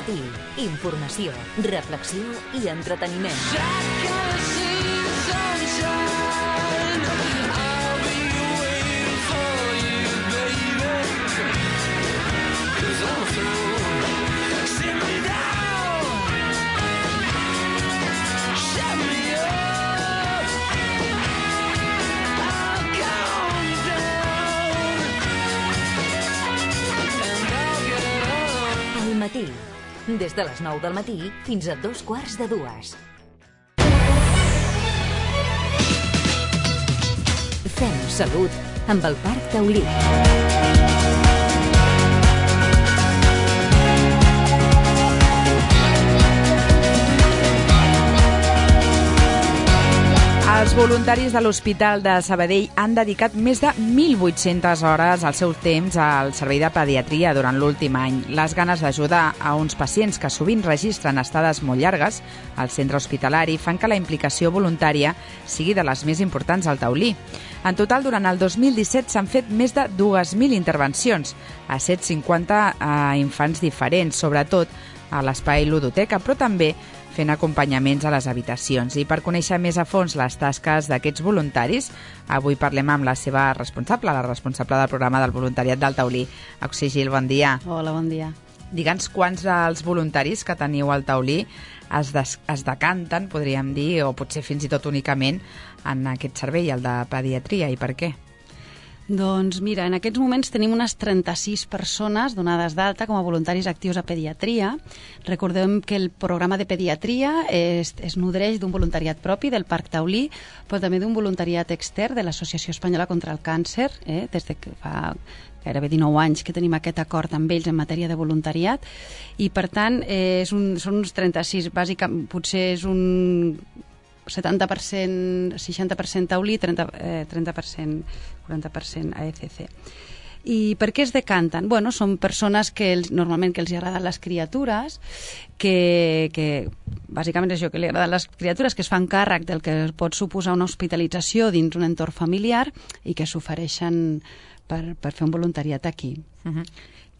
Matí. Informació, reflexió i entreteniment. Al matí. Des de les 9 del matí fins a 2:15. Fem salut amb el Parc Taulí. Els voluntaris de l'Hospital de Sabadell han dedicat més de 1.800 hores al seu temps al servei de pediatria durant l'últim any. Les ganes d'ajudar a uns pacients que sovint registren estades molt llargues al centre hospitalari fan que la implicació voluntària sigui de les més importants al Taulí. En total, durant el 2017 s'han fet més de 2.000 intervencions a 150 infants diferents, sobretot a l'espai ludoteca, però també fent acompanyaments a les habitacions. I per conèixer més a fons les tasques d'aquests voluntaris, avui parlem amb la seva responsable, la responsable del programa del voluntariat del Taulí. Auxi Gil, bon dia. Hola, bon dia. Digue'ns quants dels voluntaris que teniu al Taulí es decanten, podríem dir, o potser fins i tot únicament, en aquest servei, el de pediatria, i per què? Doncs mira, en aquests moments tenim unes 36 persones donades d'alta com a voluntaris actius a pediatria. Recordem que el programa de pediatria es nodreix d'un voluntariat propi del Parc Taulí, però també d'un voluntariat extern de l'Associació Espanyola contra el Càncer, des de que fa gairebé 19 anys que tenim aquest acord amb ells en matèria de voluntariat, i per tant són uns 36, bàsicament potser és un 70%, 60% Taulí, 30%, 40% AECC. I per què es decanten? Bueno, són persones que normalment que els agraden les criatures, que bàsicament és això, que li agraden les criatures, que es fan càrrec del que pot suposar una hospitalització dins un entorn familiar i que s'ofereixen per fer un voluntariat aquí.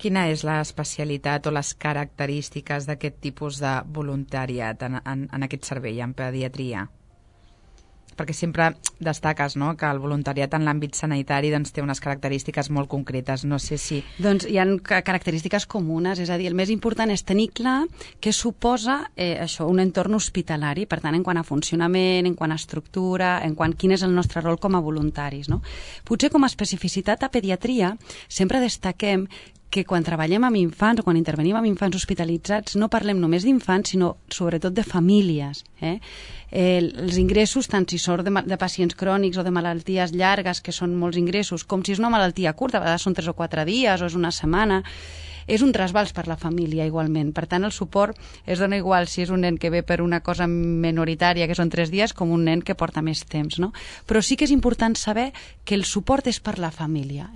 Quina és l'especialitat o les característiques d'aquest tipus de voluntariat en aquest servei, en pediatria? Perquè sempre destaques, no?, que el voluntariat en l'àmbit sanitari té unes característiques molt concretes. No sé si... Doncs hi ha característiques comunes, és a dir, el més important és tenir clar què suposa això, un entorn hospitalari, per tant, en quant a funcionament, en quant a estructura, en quant quin és el nostre rol com a voluntaris, no? Potser com a especificitat a pediatria sempre destaquem que quan treballem amb infants o quan intervenim amb infants hospitalitzats no parlem només d'infants, sinó sobretot de famílies. Els ingressos, tant si són de pacients crònics o de malalties llargues, que són molts ingressos, com si és una malaltia curta, a vegades són 3 o 4 dies o és una setmana, és un trasbals per la família igualment. Per tant, el suport es dona igual si és un nen que ve per una cosa minoritària, que són 3 dies, com un nen que porta més temps, no? Però sí que és important saber que el suport és per la família.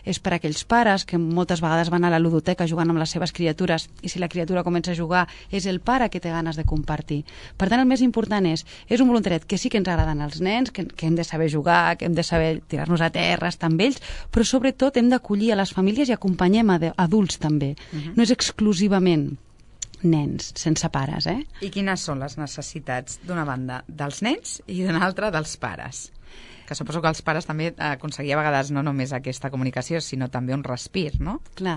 És per aquells pares que moltes vegades van a la ludoteca jugant amb les seves criatures i si la criatura comença a jugar és el pare que té ganes de compartir. Per tant, el més important és un voluntariat que sí que ens agraden els nens, que hem de saber jugar, que hem de saber tirar-nos a terra, estar amb ells, però sobretot hem d'acollir a les famílies i acompanyem a adults també. No és exclusivament nens sense pares. I quines són les necessitats, d'una banda, dels nens i d'una altra, dels pares? Que suposo que els pares també aconseguia a vegades no només aquesta comunicació, sinó també un respir, no? Clar,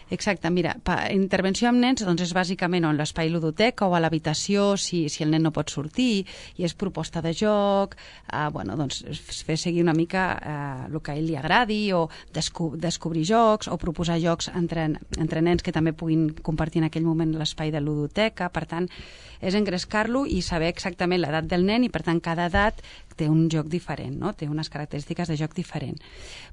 exacte. Mira, intervenció amb nens doncs és bàsicament en l'espai ludoteca o a l'habitació, si el nen no pot sortir, i és proposta de joc, doncs fer seguir una mica el que a ell li agradi, o descobrir jocs, o proposar jocs entre nens que també puguin compartir en aquell moment l'espai de ludoteca. Per tant, és engrescar-lo i saber exactament l'edat del nen, i per tant cada edat té un joc diferent, no? Té unes característiques de joc diferent.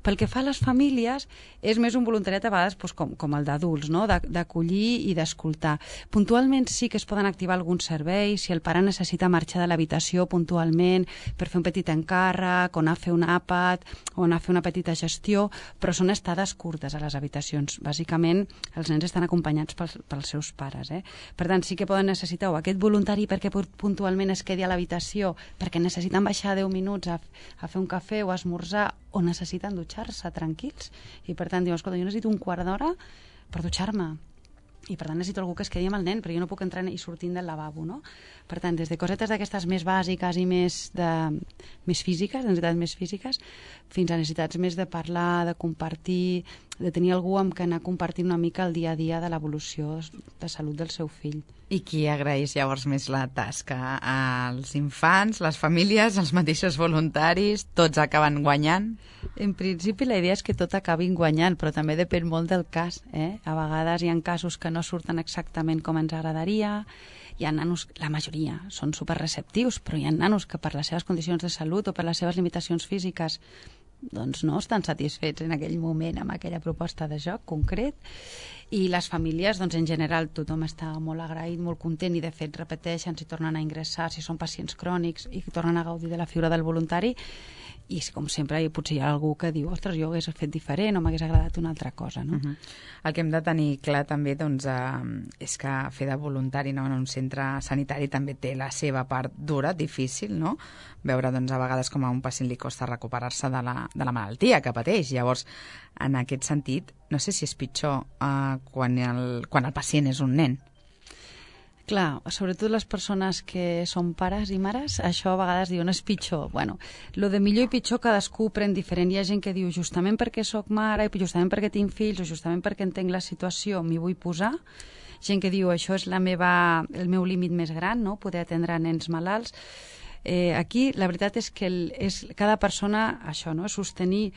Pel que fa a les famílies, és més un voluntariat a vegades com el d'adults, no? D'acollir i d'escoltar. Puntualment sí que es poden activar alguns serveis, si el pare necessita marxar de l'habitació puntualment per fer un petit encàrrec, o anar a fer un àpat, o anar a fer una petita gestió, però són estades curtes a les habitacions. Bàsicament, els nens estan acompanyats pels seus pares. Per tant, sí que poden necessitar o aquest voluntari perquè puntualment es quedi a l'habitació, perquè necessiten baixar 10 minuts a fer un cafè o a esmorzar, o necessiten dutxar-se tranquils, i per tant diuen, escolta, jo necessito un quart d'hora per dutxar-me. i per tant necessito algú que es quedi amb el nen, però jo no puc entrar i sortint del lavabo, no? Per tant, des de cosetes d'aquestes més bàsiques i més físiques, necessitats més físiques, fins a necessitats més de parlar, de compartir, de tenir algú amb què anar compartint una mica el dia a dia de l'evolució de salut del seu fill. I qui agraeix llavors més la tasca? Els infants, les famílies, els mateixos voluntaris, tots acaben guanyant? En principi la idea és que tot acabin guanyant, però també depèn molt del cas. A vegades hi ha casos que no surten exactament com ens agradaria, hi ha nanos, la majoria són superreceptius, però hi ha nanos que per les seves condicions de salut o per les seves limitacions físiques doncs no estan satisfets en aquell moment amb aquella proposta de joc concret, i les famílies, doncs en general tothom està molt agraït, molt content, i de fet repeteixen si tornen a ingressar, si són pacients crònics i tornen a gaudir de la figura del voluntari. I com sempre potser hi ha algú que diu ostres, jo ho hagués fet diferent o m'hagués agradat una altra cosa, no? El que hem de tenir clar també doncs, és que fer de voluntari en un centre sanitari també té la seva part dura, difícil, no? Veure doncs, a vegades com a un pacient li costa recuperar-se de la malaltia que pateix. Llavors, en aquest sentit, no sé si és pitjor quan el pacient és un nen. Clar, sobretot les persones que són pares i mares, això a vegades diuen és pitjor. Bueno, lo de millor i pitjor cadascú pren diferent. Hi ha gent que diu justament perquè sóc mare, i justament perquè tinc fills, o justament perquè entenc la situació m'hi vull posar. Gent que diu això és el meu límit més gran, no? Poder atendre nens malalts. Aquí la veritat és que cada persona, això, no? És sostenir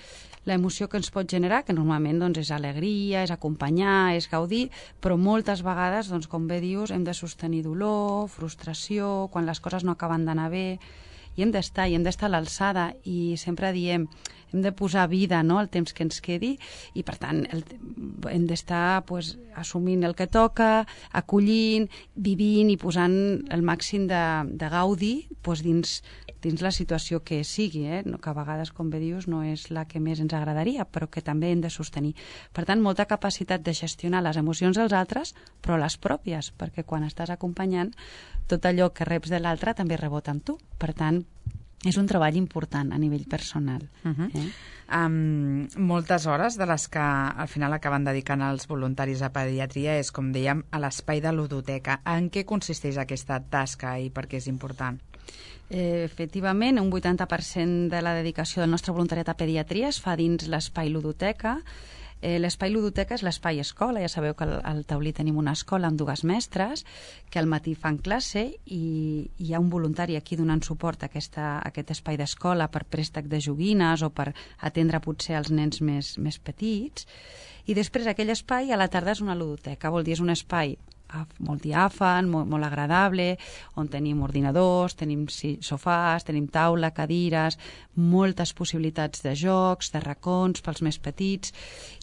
l'emoció que ens pot generar, que normalment doncs, és alegria, és acompanyar, és gaudir, però moltes vegades, doncs, com bé dius, hem de sostenir dolor, frustració, quan les coses no acaben d'anar bé, i hem d'estar a l'alçada, i sempre diem hem de posar vida, no?, al temps que ens quedi, i per tant hem d'estar assumint el que toca, acollint, vivint i posant el màxim de gaudi dins la situació que sigui, que a vegades, com bé dius, no és la que més ens agradaria, però que també hem de sostenir. Per tant, molta capacitat de gestionar les emocions dels altres, però les pròpies, perquè quan estàs acompanyant, tot allò que reps de l'altre també rebota amb tu. Per tant, és un treball important a nivell personal. Moltes hores de les que al final acaben dedicant els voluntaris a pediatria és, com dèiem, a l'espai de ludoteca. En què consisteix aquesta tasca i per què és important? Efectivament, un 80% de la dedicació del nostre voluntariat a pediatria es fa dins l'espai ludoteca. L'espai ludoteca és l'espai escola. Ja sabeu que al Taulí tenim una escola amb 2 mestres que al matí fan classe, i hi ha un voluntari aquí donant suport a aquest espai d'escola per préstec de joguines o per atendre potser els nens més petits. I després aquell espai a la tarda és una ludoteca, vol dir és un espai molt diàfan, molt agradable, on tenim ordinadors, tenim sofàs, tenim taula, cadires, moltes possibilitats de jocs, de racons pels més petits,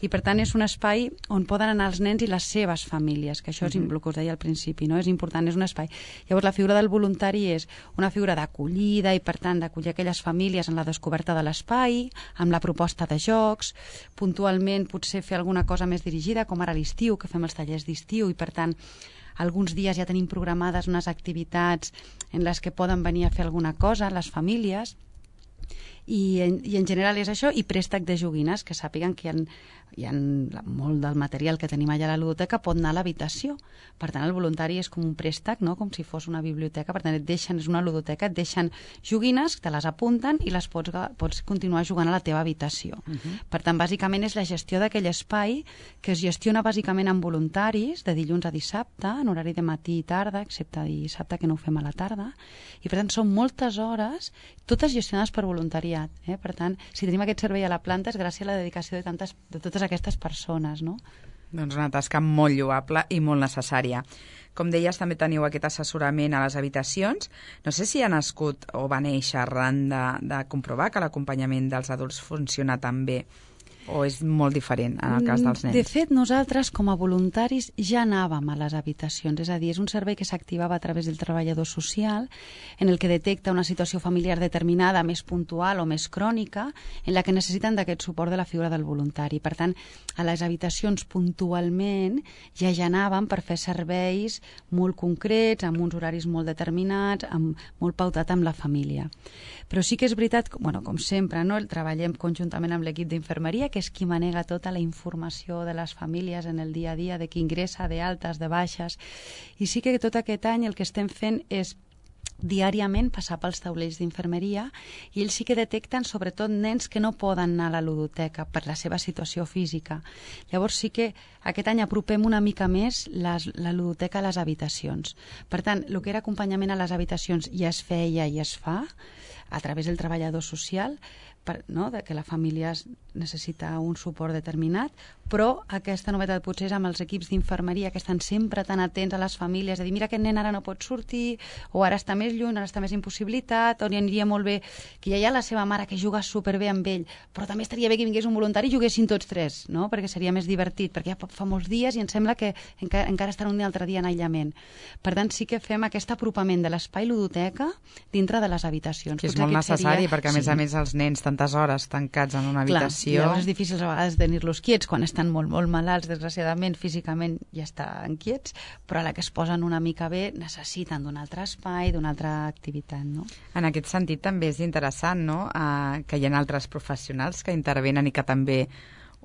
i per tant és un espai on poden anar els nens i les seves famílies, que això és el que us deia al principi, no? És important, és un espai. Llavors la figura del voluntari és una figura d'acollida, i per tant d'acollir aquelles famílies en la descoberta de l'espai, amb la proposta de jocs, puntualment potser fer alguna cosa més dirigida, com ara a l'estiu, que fem els tallers d'estiu, i per tant alguns dies ja tenim programades unes activitats en les que poden venir a fer alguna cosa les famílies, i en general és això, i préstec de joguines, que sàpiguen que hi ha molt del material que tenim allà a la ludoteca pot anar a l'habitació. Per tant, el voluntari és com un préstec, no?, com si fos una biblioteca. Per tant, és una ludoteca, et deixen joguines, te les apunten i les pots continuar jugant a la teva habitació. Per tant, bàsicament és la gestió d'aquell espai, que es gestiona bàsicament amb voluntaris de dilluns a dissabte, en horari de matí i tarda, excepte dissabte, que no ho fem a la tarda, i per tant són moltes hores, totes gestionades per voluntariat. Per tant, si tenim aquest servei a la planta és gràcies a la dedicació de totes aquestes persones, no? Doncs una tasca molt lloable i molt necessària. Com deies, també teniu aquest assessorament a les habitacions. No sé si ha nascut o va néixer arran de comprovar que l'acompanyament dels adults funciona tan bé, o és molt diferent en el cas dels nens? De fet, nosaltres com a voluntaris ja anàvem a les habitacions, és a dir, és un servei que s'activava a través del treballador social, en el que detecta una situació familiar determinada, més puntual o més crònica, en la que necessiten d'aquest suport de la figura del voluntari. Per tant, a les habitacions puntualment ja anàvem per fer serveis molt concrets, amb uns horaris molt determinats, molt pautat amb la família. Però sí que és veritat, com sempre, no? Treballem conjuntament amb l'equip d'infermeria, que és qui manega tota la informació de les famílies en el dia a dia, de qui ingressa, de altes, de baixes. I sí que tot aquest any el que estem fent és diàriament passar pels taulells d'infermeria i ells sí que detecten sobretot nens que no poden anar a la ludoteca per la seva situació física. Llavors sí que aquest any apropem una mica més la ludoteca a les habitacions. Per tant, el que era acompanyament a les habitacions ja es feia i es fa a través del treballador social, de que la família necessita un suport determinat, però aquesta novetat potser és amb els equips d'infermeria que estan sempre tan atents a les famílies, de dir, mira, aquest nen ara no pot sortir, o ara està més lluny, ara està més impossibilitat, o li aniria molt bé que ja hi ha la seva mare que juga superbé amb ell, però també estaria bé que vingués un voluntari i juguessin tots tres, no? Perquè seria més divertit, perquè ja fa molts dies i em sembla que encara estan un altre dia en aïllament. Per tant, sí que fem aquest apropament de l'espai ludoteca dintre de les habitacions. Que és molt necessari, perquè a més els nens tantes hores tancats en una habitació. Llavors és difícil a vegades tenir-los quiets quan estan molt, molt malalts, desgraciadament, físicament ja estan quiets, però a la que es posen una mica bé necessiten d'un altre espai, d'una altra activitat, no? En aquest sentit també és interessant, no?, que hi ha altres professionals que intervenen i que també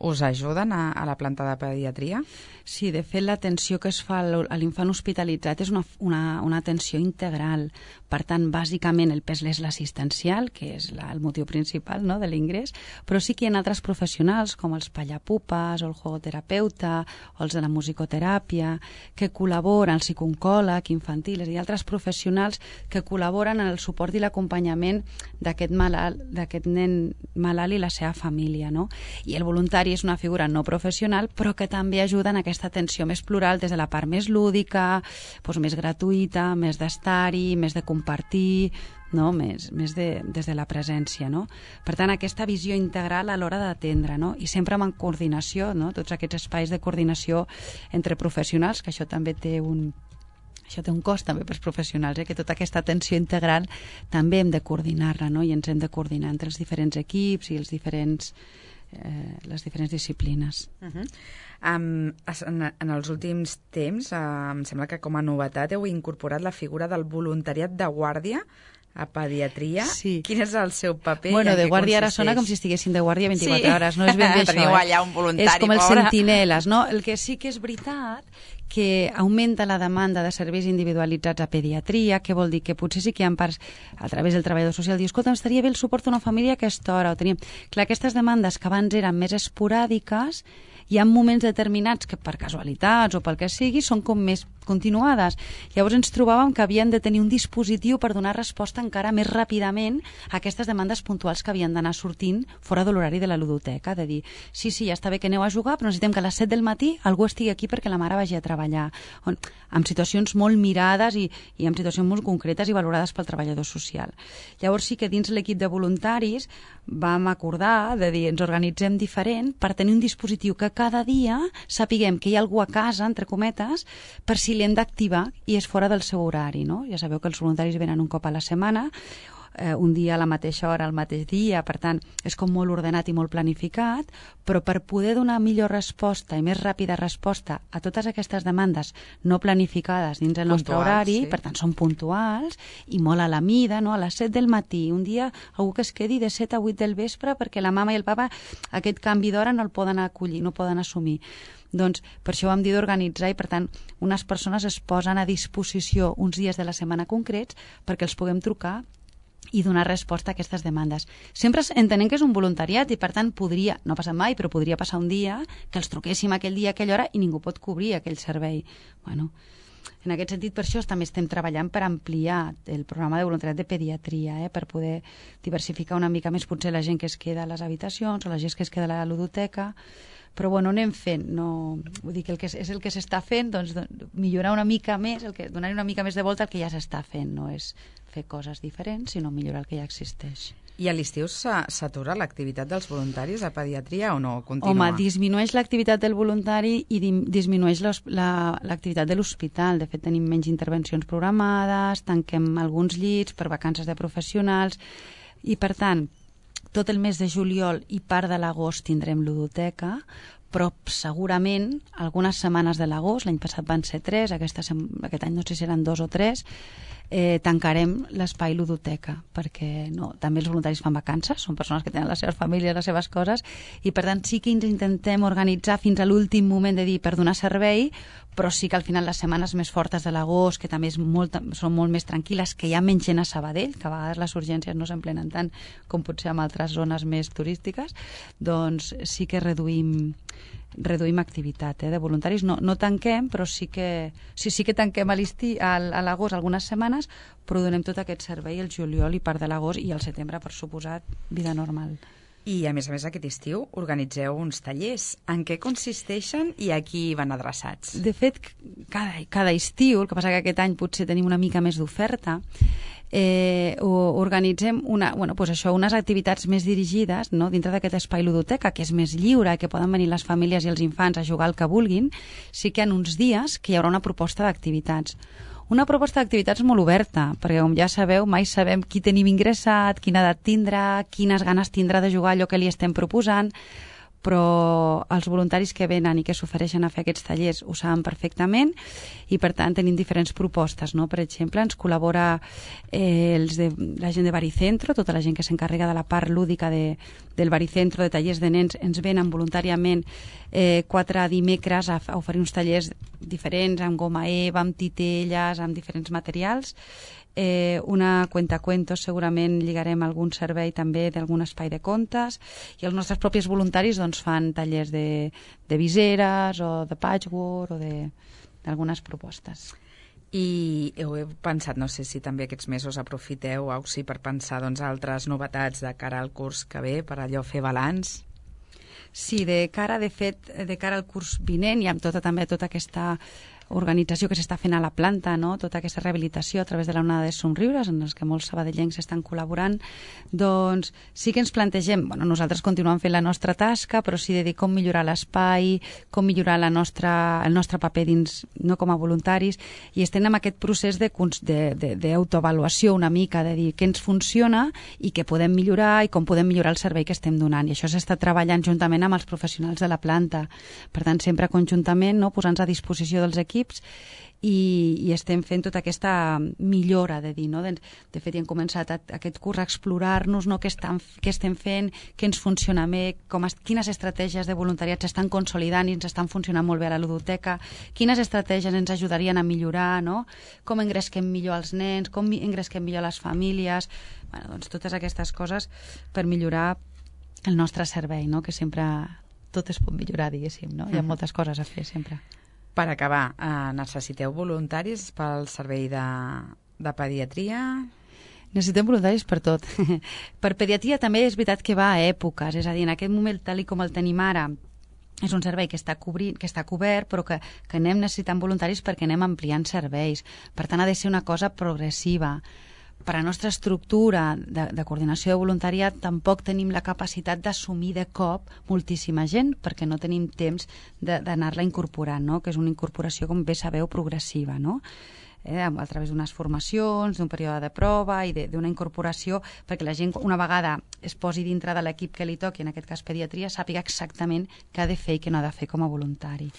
us ajuden a la planta de pediatria? Sí, de fet l'atenció que es fa a l'infant hospitalitzat és una atenció integral. Per tant, bàsicament el pes és l'assistencial, que és el motiu principal, no?, de l'ingrés, però sí que hi ha altres professionals com els pallapupes o el jugoterapeuta o els de la musicoteràpia que col·laboren, el psicooncòleg infantil, és a dir, altres professionals que col·laboren en el suport i l'acompanyament d'aquest nen malalt i la seva família, no? I el voluntari és una figura no professional, però que també ajuda en aquesta atenció més plural des de la part més lúdica, doncs més gratuïta, més d'estar-hi, més de compartir, no? Més des de la presència, no? Per tant, aquesta visió integral a l'hora d'atendre, no? I sempre amb coordinació, no? Tots aquests espais de coordinació entre professionals, que això també té un cost també pels professionals, que tota aquesta atenció integral també hem de coordinar-la, no? I ens hem de coordinar entre els diferents equips i les diferents disciplines. En els últims temps, em sembla que com a novetat heu incorporat la figura del voluntariat de guàrdia a pediatria. Sí. Quin és el seu paper? Bueno, de guàrdia ara sona com si estiguessin de guàrdia 24 hores, no és ben bé això. Teniu allà un voluntari, és com els pobre. sentineles, no? El que sí que és veritat que augmenta la demanda de serveis individualitzats a pediatria, que vol dir que potser sí que hi ha parts a través del treballador social, diu, escolta, estaria bé el suport a una família a aquesta hora, o tenim... Clar, aquestes demandes que abans eren més esporàdiques, hi ha moments determinats que per casualitats o pel que sigui són com més continuades. Llavors ens trobàvem que havien de tenir un dispositiu per donar resposta encara més ràpidament a aquestes demandes puntuals que havien d'anar sortint fora de l'horari de la ludoteca, de dir, sí, ja està bé que aneu a jugar, però necessitem que a les 7 del matí algú estigui aquí perquè la mare vagi a treballar. Amb situacions molt mirades i amb situacions molt concretes i valorades pel treballador social. Llavors sí que dins l'equip de voluntaris vam acordar de dir, ens organitzem diferent per tenir un dispositiu que cada dia sapiguem que hi ha algú a casa, entre cometes, per si l'hem d'activar i és fora del seu horari, no? Ja sabeu que els voluntaris venen un cop a la setmana, un dia a la mateixa hora, al mateix dia, per tant, és com molt ordenat i molt planificat, però per poder donar millor resposta i més ràpida resposta a totes aquestes demandes no planificades dins el nostre horari, sí. Per tant, són puntuals i molt a la mida, no? A les 7 del matí, un dia algú que es quedi de 7 a 8 del vespre perquè la mama i el papa aquest canvi d'hora no el poden acollir, no poden assumir. Doncs per això ho hem dit d'organitzar i, per tant, unes persones es posen a disposició uns dies de la setmana concrets perquè els puguem trucar i donar resposta a aquestes demandes. Sempre entenem que és un voluntariat i, per tant, podria, no ha passat mai, però podria passar un dia que els truquéssim aquell dia, a aquella hora, i ningú pot cobrir aquell servei. Bueno, en aquest sentit, per això també estem treballant per ampliar el programa de voluntariat de pediatria, per poder diversificar una mica més potser la gent que es queda a les habitacions o la gent que es queda a la ludoteca, però bueno, anem fent, no... Vull dir que és el que s'està fent, doncs millorar una mica més, donar-hi una mica més de volta al que ja s'està fent, no és fer coses diferents, sinó millorar el que ja existeix. I a l'estiu s'atura l'activitat dels voluntaris a pediatria o no? Continua? Home, disminueix l'activitat del voluntari i disminueix l'activitat de l'hospital. De fet, tenim menys intervencions programades, tanquem alguns llits per vacances de professionals i, per tant, tot el mes de juliol i part de l'agost tindrem ludoteca, però segurament algunes setmanes de l'agost, l'any passat van ser 3, aquest any no sé si seran 2 o 3, tancarem l'espai ludoteca, perquè també els voluntaris fan vacances, són persones que tenen les seves famílies, les seves coses, i per tant sí que ens intentem organitzar fins a l'últim moment de dir per donar servei, però sí que al final les setmanes més fortes de l'agost, que també són molt més tranquil·les, que hi ha menys gent a Sabadell, que a vegades les urgències no s'emplenen tant com potser en altres zones més turístiques, doncs sí que reduïm activitat de voluntaris. No tanquem, però sí que tanquem a l'agost algunes setmanes, però donem tot aquest servei el juliol i part de l'agost, i el setembre, per suposat, vida normal. I, a més, aquest estiu organitzeu uns tallers. En què consisteixen i a qui van adreçats? De fet, cada estiu, el que passa que aquest any potser tenim una mica més d'oferta, organitzem unes activitats més dirigides, no? Dintre d'aquest espai ludoteca, que és més lliure, que poden venir les famílies i els infants a jugar el que vulguin. Sí que en uns dies que hi haurà una proposta d'activitats. Una proposta d'activitats molt oberta, perquè com ja sabeu, mai sabem qui tenim ingressat, quina edat tindrà, quines ganes tindrà de jugar allò que li estem proposant, però els voluntaris que venen i que s'ofereixen a fer aquests tallers ho saben perfectament, i per tant tenim diferents propostes, no? Per exemple, ens col·labora la gent de Baricentro, tota la gent que s'encarrega de la part lúdica del Baricentro, de tallers de nens, ens venen voluntàriament 4 dimecres a oferir uns tallers diferents, amb goma eva, amb titelles, amb diferents materials. Una cuentacuentos, segurament lligarem algun servei també d'algun espai de contes, i els nostres propis voluntaris doncs, fan tallers de viseres o de patchwork o d'algunes propostes. I heu pensat, no sé si també aquests mesos aprofiteu per pensar altres novetats de cara al curs que ve, per allò fer balanç? Sí, de cara al curs vinent i amb tota aquesta organització que s'està fent a la planta, no? Tota aquesta rehabilitació a través de la onada de somriures, en els que molts sabadellencs estan col·laborant, doncs sí que ens plantegem, nosaltres continuem fent la nostra tasca, però sí de dir com millorar l'espai, com millorar el nostre paper dins, no com a voluntaris, i estem en aquest procés d'autoavaluació una mica, de dir què ens funciona i què podem millorar i com podem millorar el servei que estem donant, i això s'està treballant juntament amb els professionals de la planta. Per tant, sempre conjuntament, no? Posant-nos a disposició dels equips, i estem fent tota aquesta millora, de dir, no? De fet, hem començat aquest curs a explorar-nos, no? Què estem fent, què ens funciona bé, quines estratègies de voluntariat s'estan consolidant i ens estan funcionant molt bé a la ludoteca, quines estratègies ens ajudarien a millorar, no? Com engresquem millor els nens, com engresquem millor les famílies, doncs totes aquestes coses per millorar el nostre servei, no? Que sempre tot es pot millorar, diguéssim, no? Hi ha moltes coses a fer sempre. Per acabar, necessiteu voluntaris pel servei de pediatria? Necessitem voluntaris per tot. Per pediatria també és veritat que va a èpoques, és a dir, en aquest moment, tal com el tenim ara, és un servei que està cobert, però que anem necessitant voluntaris perquè anem ampliant serveis. Per tant, ha de ser una cosa progressiva. Per a la nostra estructura de coordinació de voluntariat tampoc tenim la capacitat d'assumir de cop moltíssima gent, perquè no tenim temps d'anar-la incorporant, no? Que és una incorporació, com bé sabeu, progressiva, no? A través d'unes formacions, d'un període de prova i d'una incorporació, perquè la gent, una vegada es posi dintre de l'equip que li toqui, en aquest cas pediatria, sàpiga exactament què ha de fer i què no ha de fer com a voluntari.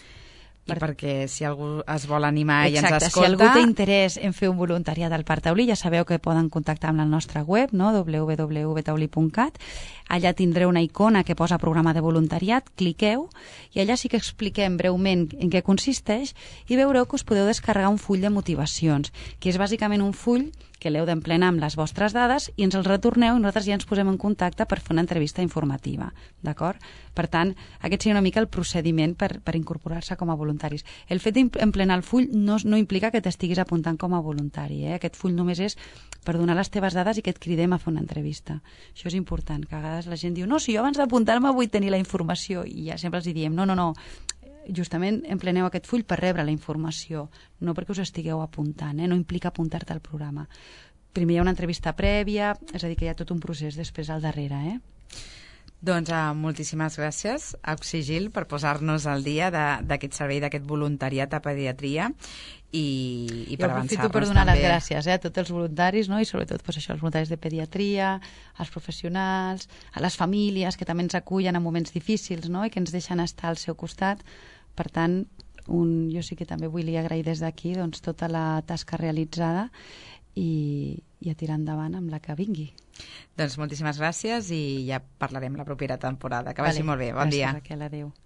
I perquè si algú es vol animar i ens escolta... Si algú té interès en fer un voluntariat al Parc Taulí, ja sabeu que poden contactar amb la nostra web, no? www.taulí.cat. Allà tindreu una icona que posa programa de voluntariat, cliqueu, i allà sí que expliquem breument en què consisteix, i veureu que us podeu descarregar un full de motivacions, que és bàsicament un full que l'heu d'emplenar amb les vostres dades i ens el retorneu i nosaltres ja ens posem en contacte per fer una entrevista informativa, d'acord? Per tant, aquest seria una mica el procediment per incorporar-se com a voluntaris. El fet d'emplenar el full no implica que t'estiguis apuntant com a voluntari, Aquest full només és per donar les teves dades i que et cridem a fer una entrevista. Això és important, que a vegades la gent diu no, si jo abans d'apuntar-me vull tenir la informació, i ja sempre els diem no, justament empleneu aquest full per rebre la informació, no perquè us estigueu apuntant, no implica apuntar-te al programa. Primer hi ha una entrevista prèvia, és a dir, que hi ha tot un procés després al darrere, Doncs moltíssimes gràcies, Auxigil, per posar-nos al dia d'aquest servei, d'aquest voluntariat a pediatria i per avançar-nos també. Jo aprofito per donar les gràcies a tots els voluntaris, no? I sobretot els voluntaris de pediatria, als professionals, a les famílies que també ens acullen en moments difícils, no? I que ens deixen estar al seu costat. Per tant, jo sí que també vull agrair des d'aquí tota la tasca realitzada i a tirar endavant amb la que vingui. Doncs moltíssimes gràcies i ja parlarem la propera temporada. Que vagi molt bé. Bon dia. Gràcies, Raquel. Adéu.